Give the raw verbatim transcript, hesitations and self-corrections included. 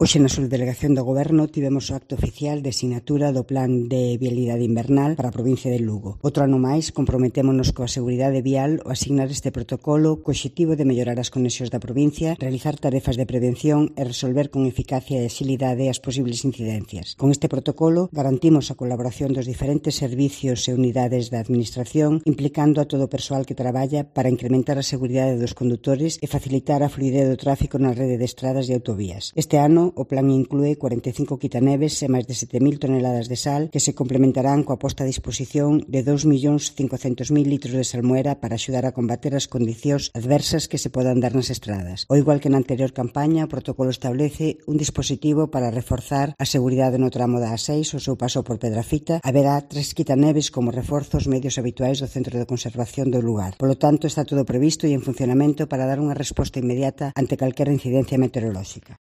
Hoxe na subdelegación do Goberno tivemos o acto oficial de sinatura do Plan de Vialidade Invernal para a provincia de Lugo. Outro ano máis comprometémonos coa seguridade vial ao asignar este protocolo co obxectivo de mellorar as conexións da provincia, realizar tarefas de prevención e resolver con eficacia e axilidade as posibles incidencias. Con este protocolo garantimos a colaboración dos diferentes servicios e unidades da Administración, implicando a todo o persoal que traballa para incrementar a seguridade dos condutores e facilitar a fluidez do tráfico na rede de estradas e autovías. Este ano o plan inclúe cuarenta e cinco quitaneves e máis de sete mil toneladas de sal que se complementarán coa posta a disposición de dous millóns cincocentos mil litros de salmuera para axudar a combater as condicións adversas que se podan dar nas estradas. O igual que na anterior campaña, o protocolo establece un dispositivo para reforzar a seguridade no tramo da A seis, o seu paso por Pedrafita. Haberá tres quitaneves como reforzos medios habituais do Centro de Conservación do lugar. Polo tanto, está todo previsto e en funcionamento para dar unha resposta inmediata ante calquera incidencia meteorolóxica.